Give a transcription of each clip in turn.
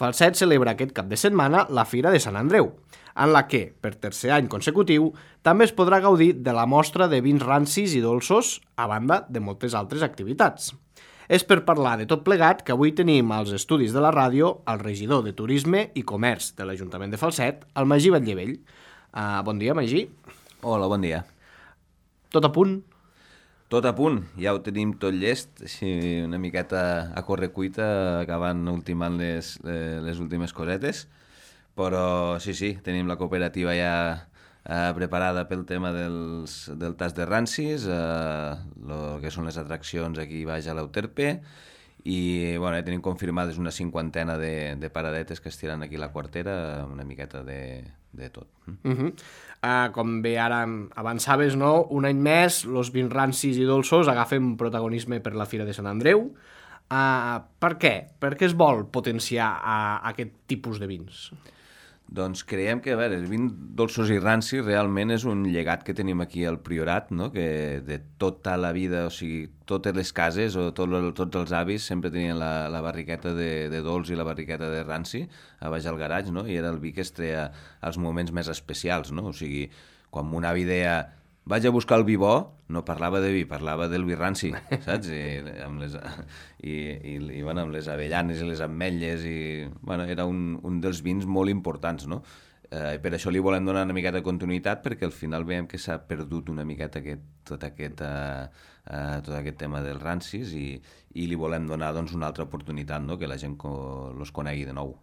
Falset celebra aquest cap de setmana la Fira de Sant Andreu, en la que, per tercer any consecutiu, també es podrà gaudir de la mostra de vins rancis i dolços, a banda de moltes altres activitats. És per parlar de tot plegat que avui tenim als estudis de la ràdio el regidor de Turisme i Comerç de l'Ajuntament de Falset, el Magí Batllevell. Bon dia, Magí. Hola, bon dia. Tot a punt? Tot a punt, ja ho tenim tot llest, així una miqueta a correcuita, acabant ultimant les últimes cosetes, però sí, tenim la cooperativa ja preparada pel tema del tas de rancis, el que són les atraccions aquí baix a l'Euterpe, i bueno, ja tenim confirmades una 50 de paradetes que estiran aquí a la quartera, una miqueta de tot. Com bé ara avançaves, no? Un any més, els vins rancis i dolços agafen protagonisme per la Fira de Sant Andreu. Per què? Per què es vol potenciar aquest tipus de vins? Doncs creiem que, a veure, els vins dolços i rancis realment és un llegat que tenim aquí al Priorat, no? Que de tota la vida, o sigui, totes les cases o tots els avis sempre tenien la barriqueta de dolç i la barriqueta de ranci a baix al garatge, no? I era el vi que es treia als moments més especials, no? O sigui, quan mon avi deia vaig a buscar el vi bo, no parlava de vi, parlava del vi ranci, saps? I bueno, amb les avellanes i les ametlles, bueno, era un dels vins molt importants, no? Per això li volem donar una miqueta de continuïtat, perquè al final veiem que s'ha perdut una miqueta tot aquest tema dels rancis i li volem donar doncs, una altra oportunitat, no? Que la gent els conegui de nou.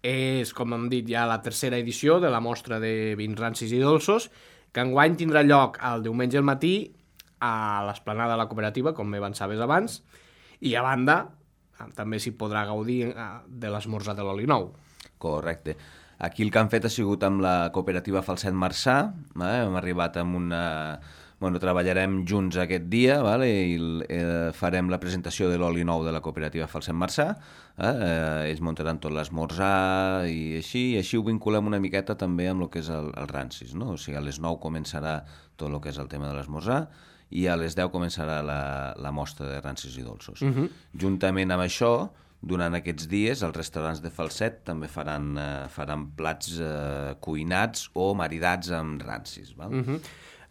És, com hem dit, ja la tercera edició de la mostra de vins rancis i dolços, que enguany tindrà lloc el diumenge al matí a l'esplanada de la cooperativa, com avançaves abans, i a banda també s'hi podrà gaudir de l'esmorzar de l'oli nou. Correcte. Aquí el que han fet ha sigut amb la cooperativa Falset Marçà, hem arribat amb una... Bueno, treballarem junts aquest dia, i farem la presentació de l'oli nou de la cooperativa Falset Marçà, ells muntaran tot l'esmorzar i així ho vinculem una miqueta també amb el que és el rancis, no? O sigui, a les 9 començarà tot el que és el tema de l'esmorzar i a les 10 començarà la mostra de rancis i dolços. Juntament amb això, durant aquests dies, els restaurants de Falset també faran plats cuinats o maridats amb rancis,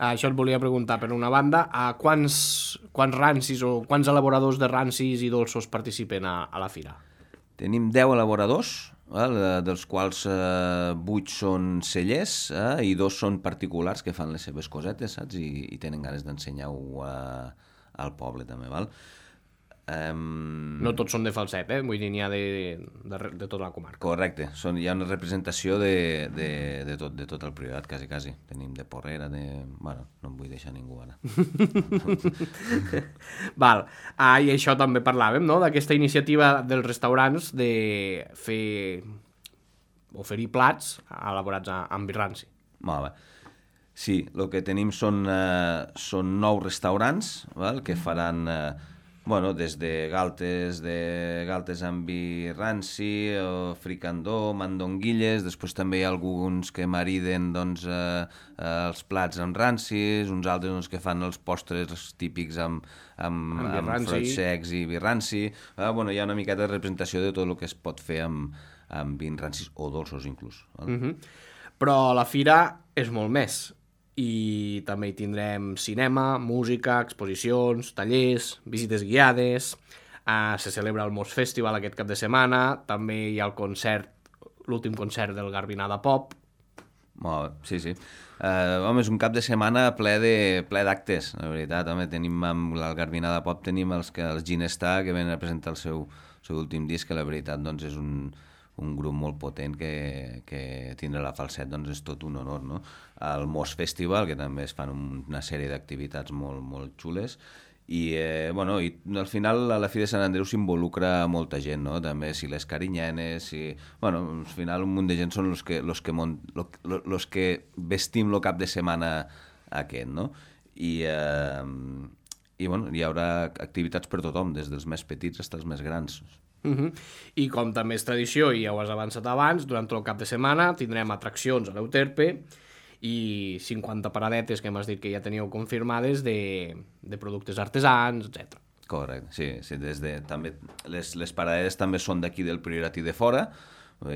Això et volia preguntar, per una banda, quants rancis o quants elaboradors de rancis i dolços participen a la fira? Tenim 10 elaboradors, dels quals 8 són cellers i 2 són particulars que fan les seves cosetes, saps? I tenen ganes d'ensenyar-ho al poble també, val? No tots són de Falset, vull dir, n'hi ha de tota la comarca. Correcte, hi ha una representació de tot el Priorat, quasi. Tenim de Porrera, bueno, no em vull deixar ningú ara. Val, i això també parlàvem, no?, d'aquesta iniciativa dels restaurants de oferir plats elaborats amb vi ranci. Molt bé. Sí, el que tenim són 9 restaurants que faran... Bueno, des de galtes amb vi ranci, fricandó, mandonguilles, després també hi ha alguns que mariden doncs, els plats amb rancis, uns altres doncs, que fan els postres típics amb fruits secs i vi ranci. Bueno, hi ha una miqueta de representació de tot el que es pot fer amb vins rancis o dolços inclús. Però la fira és molt més. I també hi tindrem cinema, música, exposicions, tallers, visites guiades, se celebra el Mos Festival aquest cap de setmana, també hi ha el concert, l'últim concert del Garbinada Pop. Molt bé, sí. Home, és un cap de setmana ple d'actes, la veritat. Home, tenim amb el Garbinada Pop, tenim els Ginestar que venen a presentar el seu últim disc, que la veritat doncs, és un grup molt potent que tindre la Falset doncs és tot un honor, no? El Mos Festival, que també es fan una sèrie d'activitats molt, molt xules, i al final a la Fira de Sant Andreu s'involucra molta gent, no? També si les carinyenes, al final un munt de gent són els que vestim el cap de setmana aquest, no? I hi haurà activitats per tothom, des dels més petits fins als més grans. I com també és tradició, i ja ho has avançat abans, durant tot el cap de setmana tindrem atraccions a l'Euterpe i 50 paradetes que m'has dit que ja teníeu confirmades de productes artesans, etc. Correcte, sí, també, les paraderes també són d'aquí del Priorat i de fora,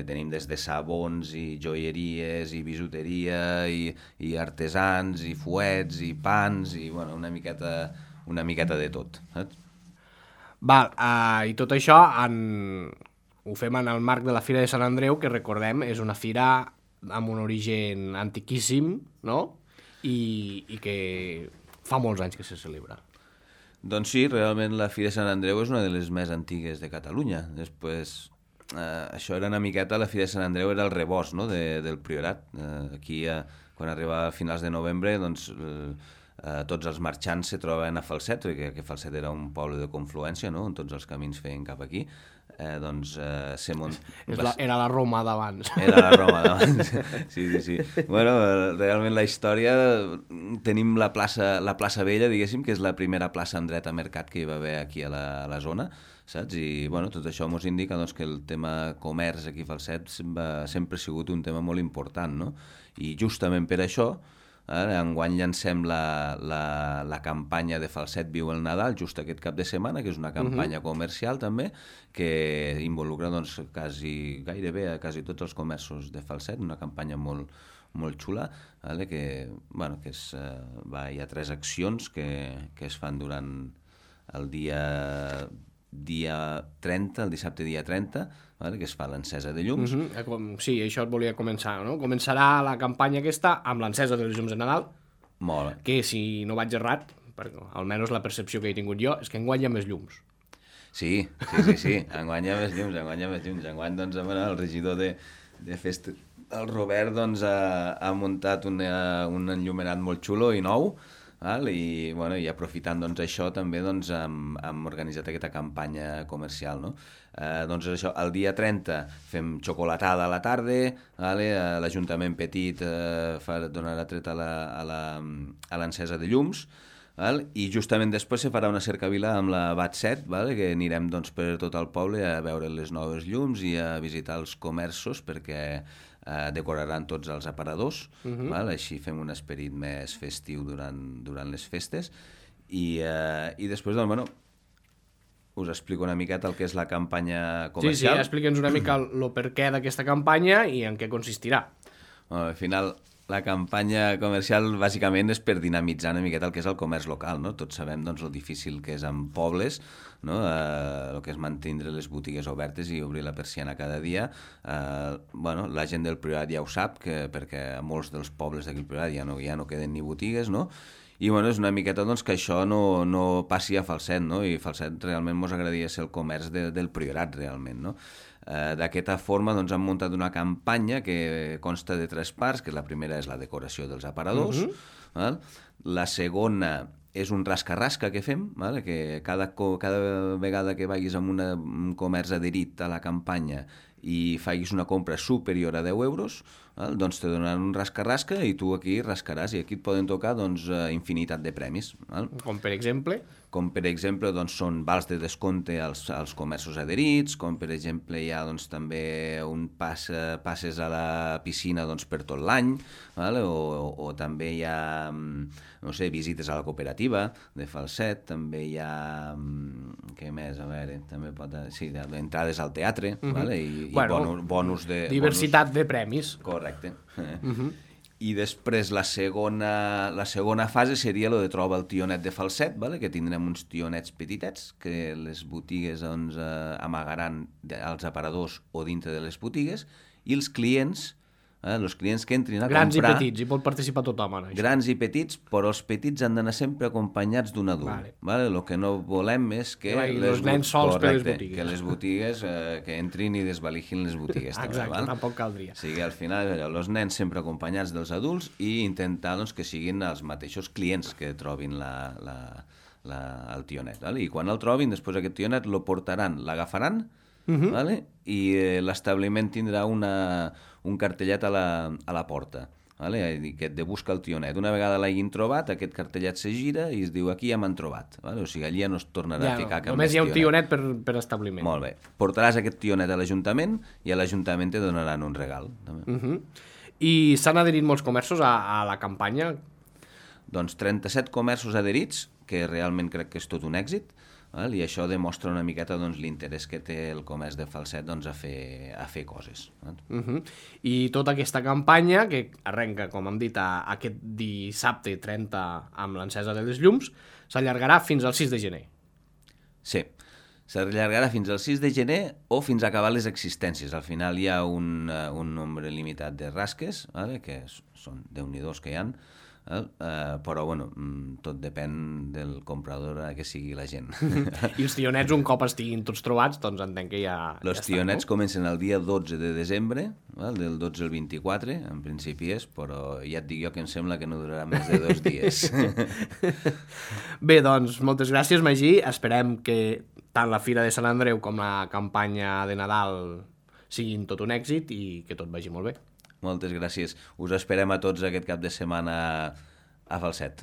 tenim des de sabons i joieries i bisuteria i artesans i fuets i pans i bueno, una miqueta de tot, saps? Val, i tot això ho fem en el marc de la Fira de Sant Andreu, que recordem és una fira amb un origen antiquíssim, no? I que fa molts anys que se celebra. Doncs sí, realment la Fira de Sant Andreu és una de les més antigues de Catalunya. Després, això era una miqueta, la Fira de Sant Andreu era el rebost, no?, del Priorat. Aquí, quan arriba a finals de novembre, doncs, tots els marxants se troben a Falset, perquè Falset era un poble de confluència, no?, on tots els camins feien cap aquí. Era la Roma d'abans. Era la Roma d'abans, sí. Bueno, realment la història, tenim la plaça Vella, diguéssim, que és la primera plaça amb dret a mercat que hi va haver aquí a la zona, saps? I bueno, tot això ens indica doncs, que el tema comerç aquí a Falset sempre ha sigut un tema molt important, no? I justament per això, enguany llancem la campanya de Falset Viu el Nadal just aquest cap de setmana, que és una campanya comercial també, que involucra doncs, gairebé a quasi tots els comerços de Falset, una campanya molt, molt xula, que hi ha 3 accions que es fan durant el dia 30, el dissabte dia 30, que es fa l'encesa de llums. Sí, això et volia començar, no? Començarà la campanya aquesta amb l'encesa de les llums de Nadal, Molt. Que si no vaig errat, perquè almenys la percepció que he tingut jo és que enguany hi ha més llums. Sí, enguany hi ha més llums, enguany doncs, el regidor de festa, el Robert, doncs, ha muntat un enllumenat molt xulo i nou, i aprofitant doncs, això també doncs, hem organitzat aquesta campanya comercial, no? Doncs això, el dia 30 fem xocolatada a la tarda, l'Ajuntament Petit donarà tret a l'encesa de llums, i justament després se farà una cercavila amb la BAT7, que anirem doncs, per tot el poble a veure les noves llums i a visitar els comerços perquè decoraran tots els aparadors, així fem un esperit més festiu durant les festes i després, doncs, us explico una miqueta el que és la campanya comercial. Sí, explica'ns una mica el perquè d'aquesta campanya i en què consistirà. Al final, la campanya comercial bàsicament és per dinamitzar una miqueta el que és el comerç local, no? Tots sabem doncs, el difícil que és en pobles, no? El que és mantenir les botigues obertes i obrir la persiana cada dia. La gent del Priorat ja ho sap, perquè a molts dels pobles d'aquí al Priorat ja no queden ni botigues, no? I és una miqueta doncs, que això no passi a Falset, no? I Falset realment ens agradaria ser el comerç del Priorat, realment, no? D'aquesta forma doncs, hem muntat una campanya que consta de 3 parts, que la primera és la decoració dels aparadors, la segona és un rasca-rasca que fem, que cada vegada que vagis a un comerç adherit a la campanya i facis una compra superior a 10 euros, doncs te donaran un rasca-rasca i tu aquí rascaràs i aquí et poden tocar doncs, infinitat de premis. Com per exemple? Com per exemple doncs, són vals de descompte als comerços adherits, com per exemple hi ha doncs, també passes a la piscina doncs, per tot l'any, o també hi ha visites a la cooperativa de Falset, també hi ha què més? A veure, també entrades al teatre, i bonus de... Diversitat de premis. Correcte. I després la segona fase seria el de troba el tionet de Falset, que tindrem uns tionets petitets que les botigues doncs, amagaran als aparadors o dintre de les botigues i els clients que entrin a grans comprar... Grans i petits, hi pot participar tothom en això. Grans i petits, però els petits han d'anar sempre acompanyats d'un adult. El que no volem és que... els nens sols per les botigues. Que les botigues que entrin i desvaligin les botigues. Exacte, tampoc caldria. O sigui, al final, els nens sempre acompanyats dels adults i intentar doncs, que siguin els mateixos clients que trobin el tionet. I quan el trobin, després aquest tionet lo portaran, l'agafaran, i l'establiment tindrà un cartellet a la porta, que et de busca el tionet. Una vegada l'hagin trobat, aquest cartellet se gira i es diu aquí ja m'han trobat. O sigui, allà no es tornarà a ficar cap només hi ha un tionet per establiment. Molt bé. Portaràs aquest tionet a l'Ajuntament i a l'Ajuntament te donaran un regal. I s'han adherit molts comerços a la campanya? Doncs 37 comerços adherits, que realment crec que és tot un èxit. I això demostra una miqueta doncs, l'interès que té el comerç de Falset doncs, a fer coses. I tota aquesta campanya, que arrenca, com hem dit, aquest dissabte 30 amb l'encesa de les llums, s'allargarà fins al 6 de gener. Sí, s'allargarà fins al 6 de gener o fins a acabar les existències. Al final hi ha un nombre limitat de rasques, que són Déu-n'hi-dos que hi ha, però bueno, tot depèn del comprador que sigui la gent. I els tionets, un cop estiguin tots trobats, doncs entenc que Els tionets comencen el dia 12 de desembre, del 12 al 24, en principi és, però ja et dic jo que em sembla que no durarà més de 2 dies. Bé, doncs, moltes gràcies, Magí. Esperem que tant la Fira de Sant Andreu com la campanya de Nadal siguin tot un èxit i que tot vagi molt bé. Moltes gràcies. Us esperem a tots aquest cap de setmana a Falset.